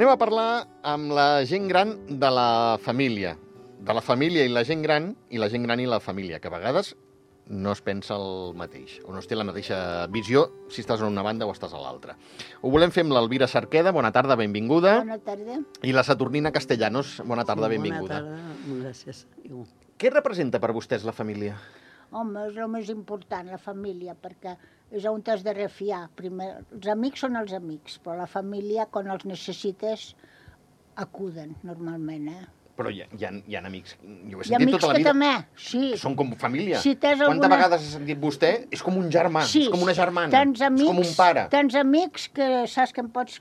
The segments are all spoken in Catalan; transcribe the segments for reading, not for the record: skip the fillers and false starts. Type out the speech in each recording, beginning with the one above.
Anem a parlar amb la gent gran de la família. De la família i la gent gran i la família, que a vegades no es pensa el mateix, o no es té la mateixa visió si estàs a una banda o estàs a l'altra. Ho volem fer amb l'Elvira Cerqueda. Bona tarda, benvinguda. Bona tarda. I la Saturnina Castellanos. Bona tarda, benvinguda. Bona tarda, gràcies. Què representa per vostès la família? Home, és el més important, la família, perquè és on t'has de refiar. Primer, els amics són els amics, però la família, quan els necessites, acuden, normalment, Però hi ha amics, jo ho he Hi ha sentit amics tota la que vida. també, sí. Són com família. Si tens Quantes alguna- vegades ha sentit vostè? És com un germà, Sí, és com una germana, tens amics, és com un pare. Tens amics que saps que em pots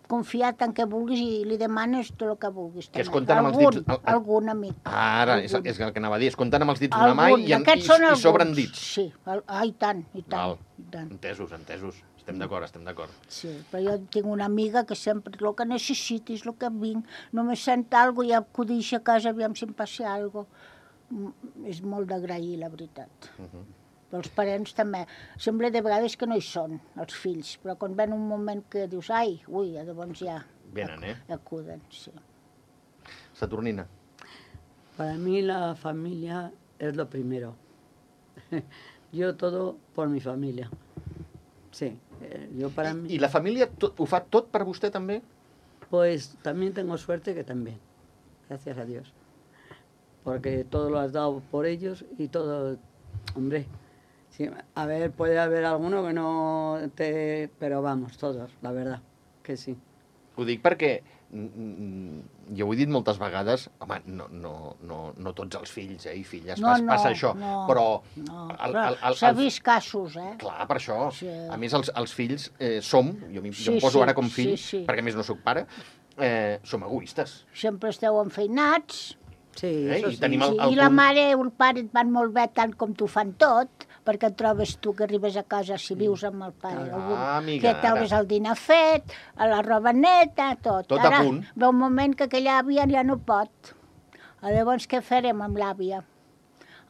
confiar tant que vulguis i li demanes tot el que vulguis. Que es també. compten amb els dits. Algun amic. Ara, és Algun. el que anava a dir, es compten amb els dits d'una mà i Aquests són alguns. sobren dits. Sí, i tant, i tant. Val. I tant. Entesos. Estem d'acord. Sí, però jo tinc una amiga que sempre, el que necessitis, el que vinc, només sent alguna cosa i acudix a casa, aviam si em passa alguna cosa. És molt d'agrair, la veritat. Però els parents també. Sembla de vegades que no hi són, els fills, però quan ven un moment que dius, llavors ja Venen, acuden, sí. Saturnina. Para mí la familia es lo primero. Yo todo por mi familia. Sí, yo para mí... I la família ho fa tot per vostè, també? Pues también tengo suerte que también, gracias a Dios. Porque todo lo has dado por ellos y todo, hombre, sí, a ver, puede haber alguno que no te... Pero vamos, todos, la verdad, que sí. Ho dic perquè, jo ho he dit moltes vegades, home, no tots els fills i filles passa això, però... S'ha vist casos, Clar, per això. Sí. A més, els fills som, jo em poso ara com fill, perquè a més no sóc pare, som egoistes. Sempre esteu enfeinats. Sí, I sí. tenim el I la mare i el pare et van molt bé tant com t'ho fan tot, perquè et trobes tu que arribes a casa si vius amb el pare. Amiga, que trobes el dinar fet, la roba neta, tot. Tot a Ara punt. ve un moment que aquella àvia ja no pot. Llavors què farem amb l'àvia?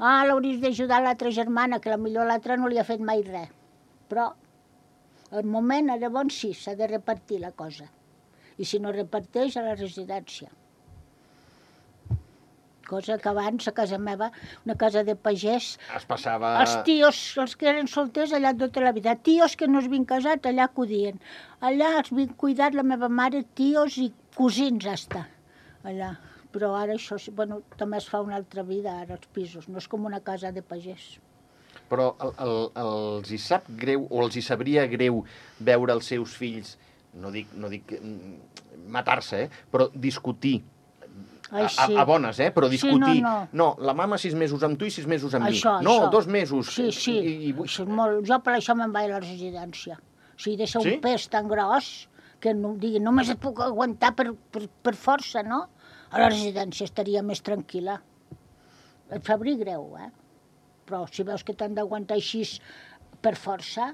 L'hauries d'ajudar l'altra germana, que potser l'altra no li ha fet mai res. Però al moment, llavors sí, s'ha de repartir la cosa. I si no reparteix, a la residència. Cosa que abans, a casa meva, una casa de pagès, Es passava... els tios, els que eren solters, allà tota la vida. Tios que no es havien casat, allà acudien. Allà els havien cuidat la meva mare, tios i cosins, hasta. Allà. Però ara això, bueno, també es fa una altra vida, ara, els pisos. No és com una casa de pagès. Però els hi sap greu, o els hi sabria greu veure els seus fills, no dic matar-se, però discutir. A bones, però discutir. Sí, no, la mama 6 mesos amb tu i 6 mesos amb mi. Això. 2 mesos. Sí. Això és molt... Jo per això me'n vaig a la residència. O sigui, de ser un pes tan gros que no, digui, només et puc aguantar per força, no? A la residència estaria més tranquil·la. Et sabria greu, Però si veus que t'han d'aguantar així per força...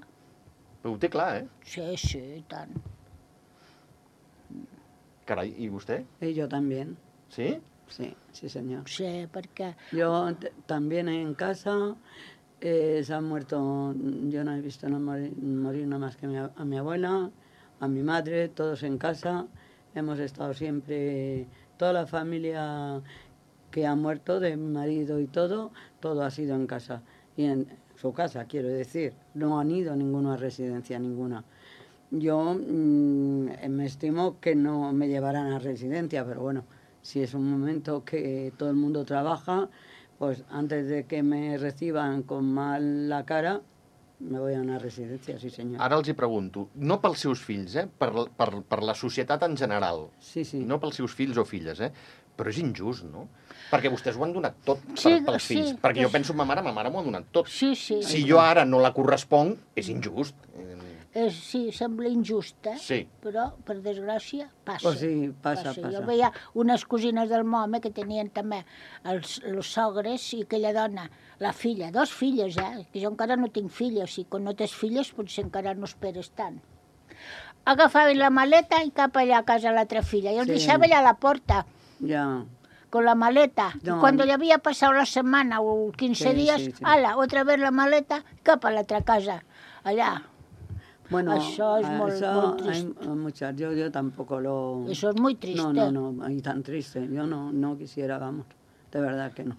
Ho té clar, Sí, i tant. Carai, ¿y usted? Y yo también. ¿Sí? Sí, sí, señor. Sí, perquè... Yo también en casa se han muerto, yo no he visto morir nada más que a mi abuela, a mi madre, todos en casa. Hemos estado siempre, toda la familia que ha muerto, de mi marido y todo ha sido en casa. Y en su casa, quiero decir, no han ido ninguno a residencia, ninguna. Yo me estimo que no me llevarán a residencia, pero bueno, si es un momento que todo el mundo trabaja, pues antes de que me reciban con mal la cara, me voy a una residencia, sí senyor. Ara els hi pregunto, no pels seus fills, per la societat en general, sí. No pels seus fills o filles, però és injust, no? Perquè vostès ho han donat tot pels fills, perquè jo penso en ma mare m'ho ha donat tot. Sí. Si jo ara no la corresponc, és injust. Sí, sembla injust, Sí. Però, per desgràcia, passa. Pues sí, passa. Jo veia unes cosines del meu home que tenien també els sogres i aquella dona, la filla, 2 filles, que jo encara no tinc filles, i quan no tens filles potser encara no esperes tant. Agafaven la maleta i cap allà a casa l'altra filla, i els deixava allà a la porta. Ja. Con la maleta. No. Y cuando ya había pasado la semana o 15 días, ala, otra vez la maleta, cap a l'altra casa, allà. Bueno, Això és molt, eso molt hay trist. muchas. Yo tampoco lo... Eso es muy triste. No, y tan triste. Yo no quisiera, vamos, de verdad que no.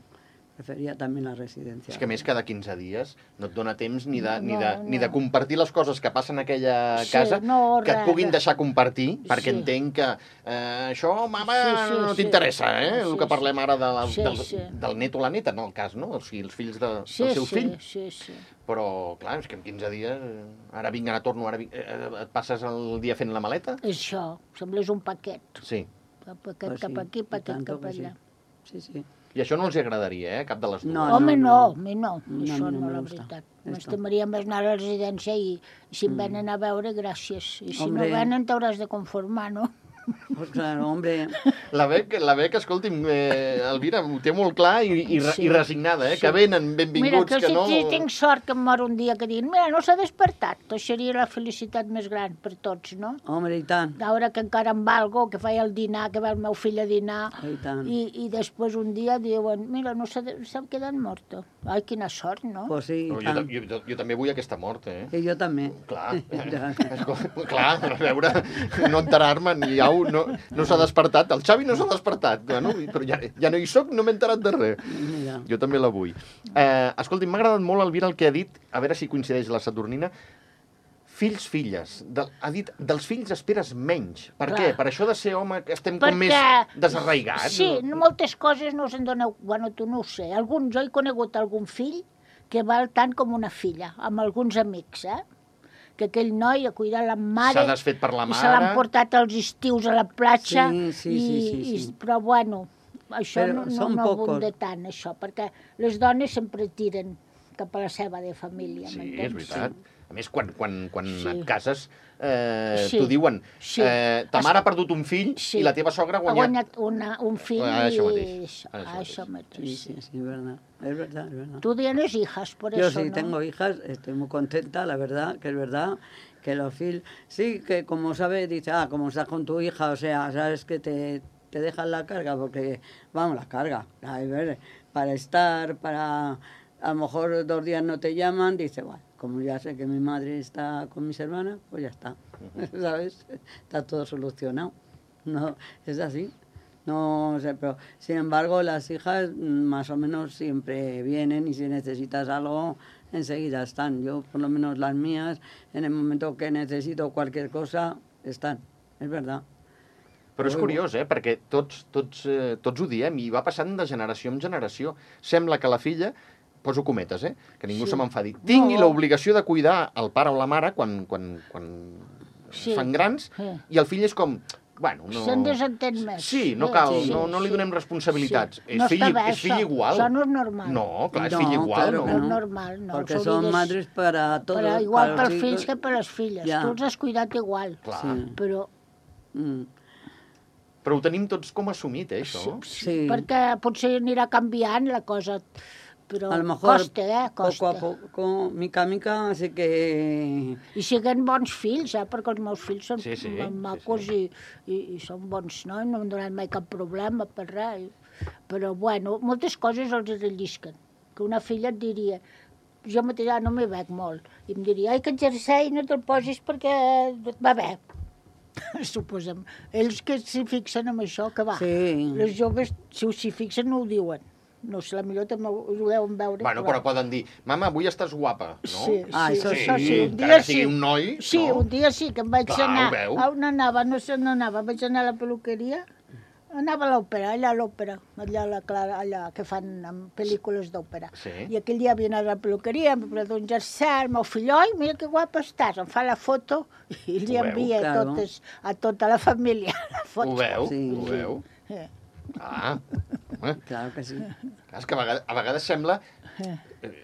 Preferia també la residència. És que a més cada 15 dies no et dona temps ni de, No. ni de compartir les coses que passen a aquella Sí, casa no, que et res, puguin res. deixar compartir, perquè Sí. entenc que això, mama, Sí, no sí. t'interessa, el Sí, que parlem ara Sí, del, sí. del net o la neta, no el cas, no? Els fills dels Sí, seus fills. sí. Però, clar, és que en 15 dies, ara vinc, ara torno, et passes el dia fent la maleta? Això, sembles un paquet. Sí. Paquet Pues cap sí, aquí, i paquet tanto cap que sí. allà. Sí. I això no els agradaria, cap de les dues. No, Home, no. a mi no, No, a això mi no no, me la gusta. veritat. Esto. M'estimaria més anar a la residència i si em venen a veure, gràcies. I si Hombre. no venen, t'hauràs de conformar, no? Pues claro, hombre, La Bec, escolti'm, Elvira, ho té molt clar i Sí. resignada, Sí. que venen Mira, benvinguts, que que si no... tinc sort que em mor un dia que diguin mira, no s'ha despertat, això seria la felicitat més gran per tots, no? hombre, i tant. Veure que encara em valgo, que feia el dinar, que ve el meu fill a dinar, I tant. i després un dia diuen, mira, no s'ha quedat morta. Ai, quina sort, no? Pues sí, No, i tant. jo també vull aquesta mort, I jo també. Clar, clar, a veure, no enterar-me, ni au, no s'ha despertat, el Xavi no s'ha despertat, bueno, però ja no hi soc, no m'he enterat de res. Mira. Jo també la vull. Escolti, m'ha agradat molt, Elvira, el que ha dit, a veure si coincideix la Saturnina, fills, filles. Ha dit, dels fills esperes menys. Per Clar. què? Per això de ser home que estem Perquè- com més desarraigats? Sí, moltes coses no se'n dona... Bueno, tu no ho sé. Jo he conegut algun fill que val tant com una filla, amb alguns amics, que aquell noi ha cuidat la mare... S'ha desfet per la I se l'han mare. portat als estius a la platja. Sí. Però, bueno, això Però no són pocos. abunda tant, això, perquè les dones sempre tiren cap a la seva de família, Sí, m'entens? és veritat. A més, quan Sí. et cases, Sí. t'ho diuen. Sí. Ta mare ha perdut un fill Sí. i la teva sogra ha Ha guanyat... guanyat un fill Això mateix, i... això Això mateix. Sí, es verdad. Es verdad, es verdad. Tú tienes hijas, por Yo eso, sí ¿no? tengo hijas, estoy muy contenta, la verdad, que es verdad, que los fil... Sí, que como sabes, dice, como estás con tu hija, o sea, sabes que te dejan la carga, porque, vamos, la carga, a ver, para estar, para... A lo mejor 2 días no te llaman, dice, bueno, como ya sé que mi madre está con mis hermanas, pues ya está, ¿sabes? Está todo solucionado. No, es así. No sé, pero sin embargo las hijas más o menos siempre vienen y si necesitas algo enseguida están. Yo por lo menos las mías en el momento que necesito cualquier cosa están, es verdad. Però és curiós, perquè tots ho diem i va passant de generació en generació. Sembla que la filla, poso cometes, que ningú se m'enfadi, tingui l'obligació de cuidar el pare o la mare quan Sí. fan grans Sí. i el fill és com... Bueno, no... Se'n desentén més. Sí, no cal, Sí, no li sí. donem responsabilitats. Sí. No està bé, És fill això. igual. Això no és normal. No, clar, és No, fill igual. claro No? que No és no. normal, no. Porque Això son digues- madres para todos. Però igual para los pels fills hijos. que per les filles. Ja. Tu els has cuidat igual. Clar. Sí. Però Mm. Però ho tenim tots com assumit, això. Sí. perquè potser anirà canviant la cosa, però A lo mejor costa, costa. poco a poco, mica a mica, así que... I siguin bons fills, perquè els meus fills són Sí, sí, macos sí, I són bons, no? No m'han donat mai cap problema per res. Però, bueno, moltes coses els rellisquen. Que una filla et diria, jo mateixa no m'hi veig molt, i em diria, ai, que jersei no te'l posis perquè et va bé. Suposem. Ells que s'hi fixen en això, que va. Sí. Les joves, si s'hi fixen, no ho diuen. No sé, potser també ho deuen veure. Bueno, però poden dir, mama, avui estàs guapa, no? Sí, Ah, sí, això això sí, sí. Un encara dia que sigui sí. un noi, Sí, no? un dia sí, que em vaig Clar, anar. ho veu. On anava? No sé on anava. Vaig anar a la peluqueria. Anava a l'òpera, allà a l'òpera, allà a la Clara, allà que fan pel·lícules d'òpera. Sí. I aquell dia havia anat a la peluqueria, em va un jersei, el meu fill, oi, mira que guapa estàs, em fa la foto i li Ho veu, envia claro. a tota la família la foto. Ho veu? Sí. Ho veu? Eh. Ah, home, Claro que sí. clar, és que a vegades sembla,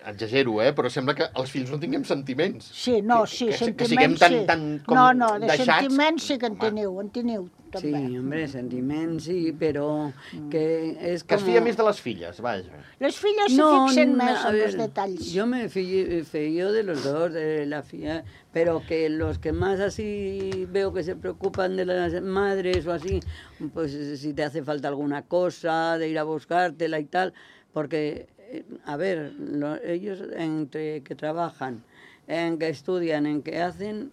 exagero, però sembla que els fills no tinguem sentiments. Sí, no, sí, que sentiments siguem tan, sí. tan com No, de deixats. sentiments sí que en Home, teniu, Sí, també. hombre, sentimientos sí, pero que es Que como... es fia més de les filles, vaja. Les filles se fixen més a en els ver, detalls. Yo me fío de los dos, de la filla, pero que los que más así veo que se preocupan de las madres o así, pues si te hace falta alguna cosa, de ir a buscártela y tal, porque, a ver, ellos entre que trabajan, en que estudian, en que hacen,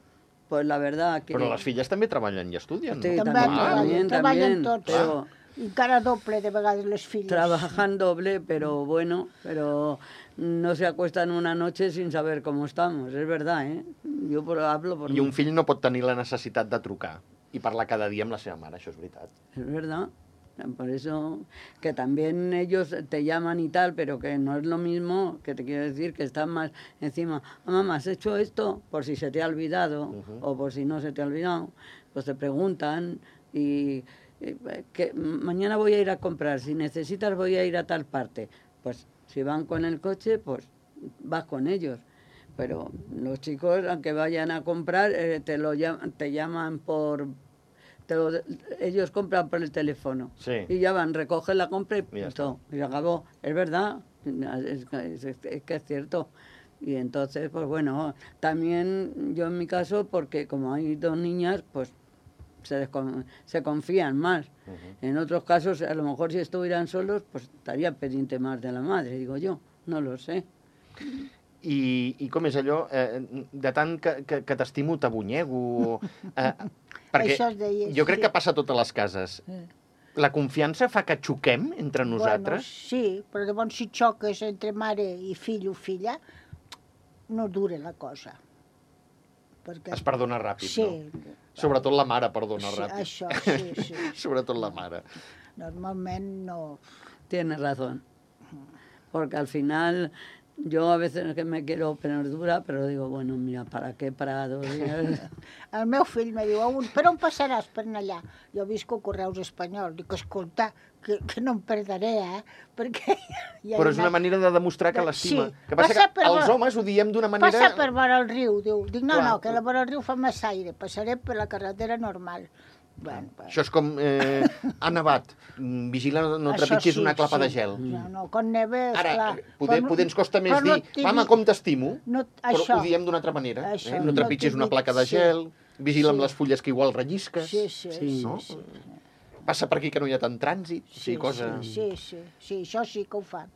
pues la verdad que... Però les filles també treballen i estudien, Sí, no? També treballen tots. pero Encara doble de vegades les filles. trabajan doble, pero bueno, pero no se acuestan una noche sin saber cómo estamos, es verdad, ¿eh? Yo hablo por I un fill no pot tenir la necessitat de trucar i parlar cada dia amb la seva mare, això és veritat. Es verdad. Por eso que también ellos te llaman y tal, pero que no es lo mismo, que te quiero decir que están más encima. "Ah, mamá, ¿has hecho esto?", por si se te ha olvidado o por si no se te ha olvidado. Pues te preguntan y que mañana voy a ir a comprar, si necesitas voy a ir a tal parte. Pues si van con el coche, pues vas con ellos. Pero los chicos, aunque vayan a comprar, te llaman por... ellos compran por el teléfono. Sí. Y ya van, recogen la compra y Ya punto. Y se acabó. Es verdad, es que es cierto. Y entonces, pues bueno, también yo en mi caso, porque como hay dos niñas, pues se confían más. En otros casos, a lo mejor si estuvieran solos, pues estaría pendiente más de la madre, digo yo. No lo sé. I com és allò? De tant que t'estimo, t'abunyego... Perquè Això es deia, jo crec sí. que passa a totes les cases. La confiança fa que xoquem entre nosaltres? Bueno, sí, però llavors si xoques entre mare i fill o filla, no dura la cosa. Perquè... Es perdona ràpid, Sí. no? Sobretot la mare perdona Sí, ràpid. això, sí. Sobretot la mare. Normalment no... Tienes razón. Porque al final, yo a veces que me quiero poner dura, pero digo, bueno, mira, ¿para qué? Para 2 días. El meu fill me diu, per on passaràs per anar allà? Jo visco a Correus Espanyol. Dic, escolta, que no em perdaré, perquè... Ja Però és una manera de demostrar que l'estima. Sí. Que passa que els homes ho diem d'una manera... Passa per vora el riu, diu. Dic, no, Clar. no, que la vora el riu fa massa aire, passaré per la carretera normal. Bueno, Això és com... ha nevat. Vigila, no trepitgis una clapa de gel. No, quan neve, Ara, esclar... poder ens costa més però dir, mama, com t'estimo, No, però això. ho diem d'una altra manera. Això, No trepitgis no una placa de sí. gel, vigila amb Sí. les fulles que igual rellisques. Sí, no? sí. Passa per aquí que no hi ha tant trànsit, sí, cosa... Sí, això sí que ho fan.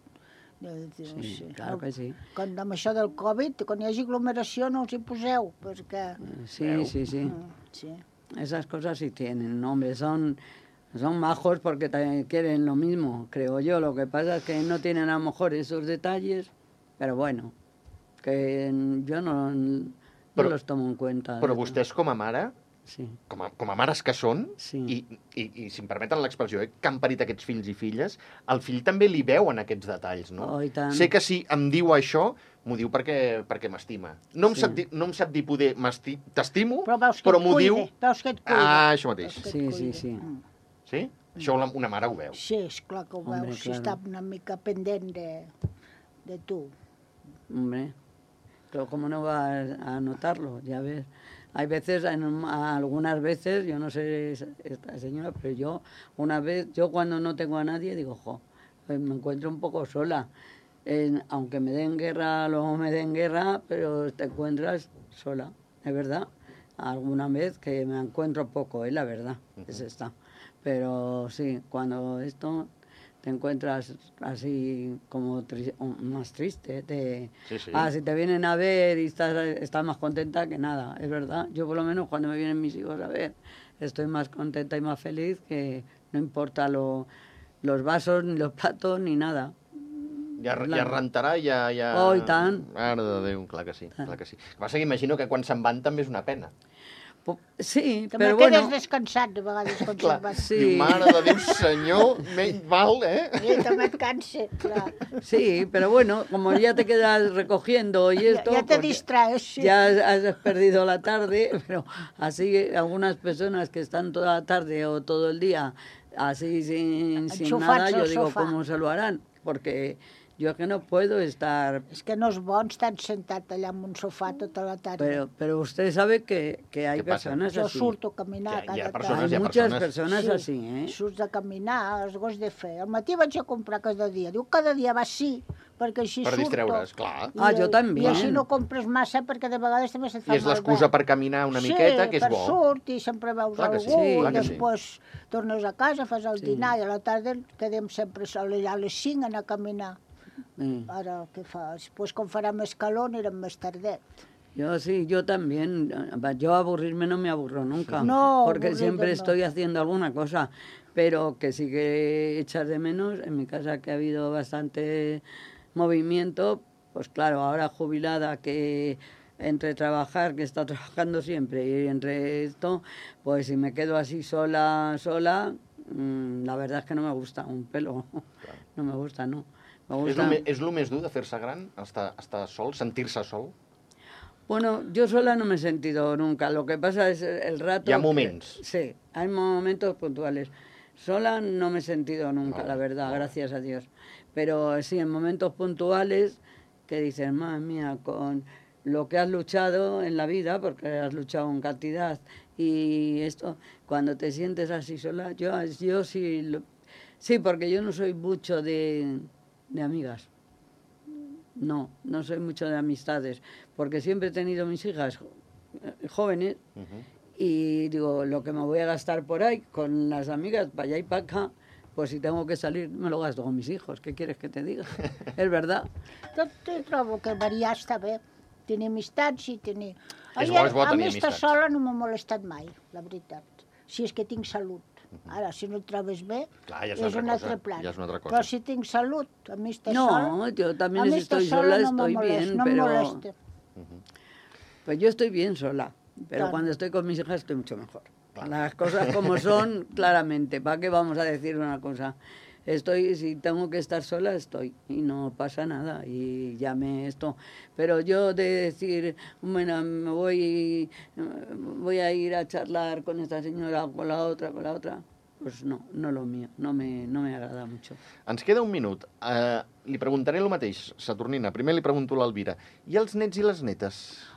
Sí, claro que sí. Amb això del Covid, quan hi hagi aglomeració no us hi poseu, perquè... Sí, sí, sí. Sí. Esas cosas sí tienen, ¿no? Hombre, son majos porque también quieren lo mismo, creo yo. Lo que pasa es que no tienen a lo mejor esos detalles, pero bueno, que yo no los tomo en cuenta. Però vostès, com a mare, Sí. com a mares que són, Sí. i si em permeten l'expressió, que han parit aquests fills i filles, al fill també li veuen aquests detalls, no? Oh, i tant. Sé que si em diu això, m'ho diu perquè m'estima. No em sap dir poder t'estimo, però m'ho diu... Veus que et cuida. Ah, això mateix. Veus que et Sí, sí, cuida. sí. Sí? Això una mare ho veu. Sí, esclar que ho Hombre, veus, si claro. està una mica pendent de tu. Hombre, pero ¿cómo no vas a notarlo? Ya ves. Hay veces, algunas veces, yo no sé esta señora, pero yo cuando no tengo a nadie digo, pues me encuentro un poco sola. Aunque me den guerra, luego me den guerra, pero te encuentras sola, es verdad. Alguna vez que me encuentro poco, la verdad, es esta. Pero sí, cuando te encuentras así como más triste. Sí. Si te vienen a ver y estás más contenta que nada, es verdad. Yo por lo menos cuando me vienen mis hijos a ver, estoy más contenta y más feliz, que no importa los vasos, ni los platos, ni nada. Ja rentarà, ja... Oh, i tant. Mare de Déu, clar que sí. Clar que sí. El que passa que imagino que quan se'n van també és una pena. Sí, També però quedes bueno... descansat de vegades quan Clar, se'n vas. Sí. diu, mare de Déu, senyor, menys mal, I també et cansa, clar. Sí, pero bueno, como ya te quedas recogiendo y esto... Ya te pues, distraes, sí. Ya has perdido la tarde, pero así algunas personas que están toda la tarde o todo el día así sin Enxufats nada, yo al digo, sofà. ¿cómo se lo harán? Porque yo es que no puedo estar... És que no és bo estar sentat allà en un sofà tota la tarda. Pero usted sabe que hay ¿Qué pasa? personas Jo así. surto a caminar Hi ha cada persones, Hay hi ha muchas persones. personas así, ¿eh? Surts a caminar, els gos de fer. Al matí vaig a comprar cada dia. Diu, cada dia vas sí, perquè així Per surto. distreure's, clar. Jo també. I així no compres massa, perquè de vegades també se't fa I és l'excusa per caminar una miqueta, que és bo. Sí, per surt i sempre veus Clar que algú, sí, clar i que sí. després tornes a casa, fas el dinar, i a la tarda quedem sempre a les 5 a anar a caminar. Sí. Ara, què fas? Pues quan farà més calor anirem més tardet. Yo sí, yo también. Yo aburrirme no me aburro nunca. No, porque aburrido siempre no. estoy haciendo alguna cosa. Pero que sí que echas de menos. En mi casa que ha habido bastante movimiento, pues claro, ahora jubilada que entre trabajar, que he estado trabajando siempre, y entre esto, pues si me quedo así sola, la verdad es que no me gusta un pelo. No me gusta, no. Me gusta... És el més dur de fer-se gran, estar sol, sentir-se sol? Bueno, yo sola no me he sentido nunca. Lo que pasa es el rato... Hi ha moments. Sí, hay momentos puntuales. Sola no me he sentido nunca, la verdad, gracias a Dios. Pero sí, en momentos puntuales que dices, madre mía, con lo que has luchado en la vida, porque has luchado en cantidad, y esto, cuando te sientes así sola, yo sí... Sí, porque yo no soy mucho de amigas. No soy mucho de amistades, porque siempre he tenido mis hijas jóvenes y digo, lo que me voy a gastar por ahí con las amigas, para allá y para acá, pues si tengo que salir me lo gasto con mis hijos, ¿qué quieres que te diga? És verdad. Tot trobo que variar està bé. Tenir amistats i tenir... És bo a tenir mi estar amistats. sola no m'ha molestat mai, la veritat. Si és que tinc salut. Ara, si no et trobes bé, Clar, ja és és una un altra altre cosa, plat. ja és una altra cosa. Però si tinc salut, a mi estar sola... No, yo también a mi si estar estoy sola no me estoy molesta, bien, no me pero... molesta. Pues yo estoy bien sola, pero Claro. cuando estoy con mis hijas estoy mucho mejor. Las cosas como son, claramente. ¿Para qué vamos a decir una cosa? Si tengo que estar sola, estoy. Y no pasa nada. Y llame esto. Pero yo de decir, bueno, voy a ir a charlar con esta señora o con la otra, pues no lo mío. No me agrada mucho. Ens queda un minut. Li preguntaré el mateix, Saturnina. Primer li pregunto a l'Elvira. I els nets i les netes?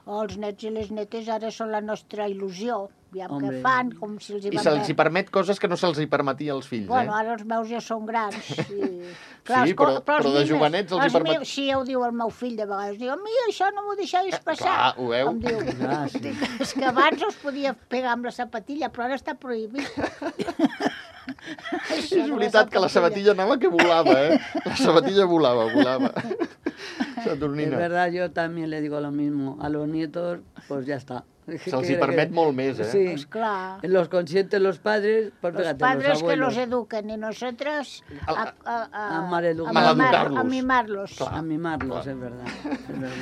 Els nets i les netes ara són la nostra il·lusió. Aviam què Hombre. fan, com si els hi I van se'ls hi permet coses que no se'ls hi permetia als fills, Bueno, ara els meus ja són grans. I... Sí, però els de nines, jovenets els hi permet- meus, sí, ja ho diu el meu fill de vegades. Diu, a mi això no m'ho deixaves passar. clar, ho veu? Em diu, Ah, sí. dic, és que abans us podia pegar amb la sapatilla, però ara està prohibit. És veritat que la sabatilla anava que volava, eh? La sabatilla volava. Es Saturnina. verdad, yo también le digo lo mismo. A los nietos, pues ya está. Se'ls hi permet molt més, eh? Sí. Pues clar. Los consienten los padres, pues Los fíjate, padres los que abuelos. los eduquen y nosotros A maleducar. Maleducar-los. a mimarlos. A mimarlos, es verdad. Es verdad.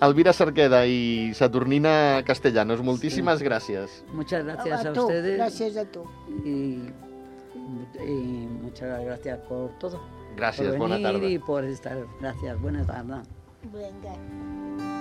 Elvira Cerqueda i Saturnina Castellanos, moltíssimes gràcies. Muchas gracias a tu, ustedes gràcies a tu. y muchas gracias por todo. Gràcies, por bona venir tarda. y por estar. Gracias, buena tarde. Vinga.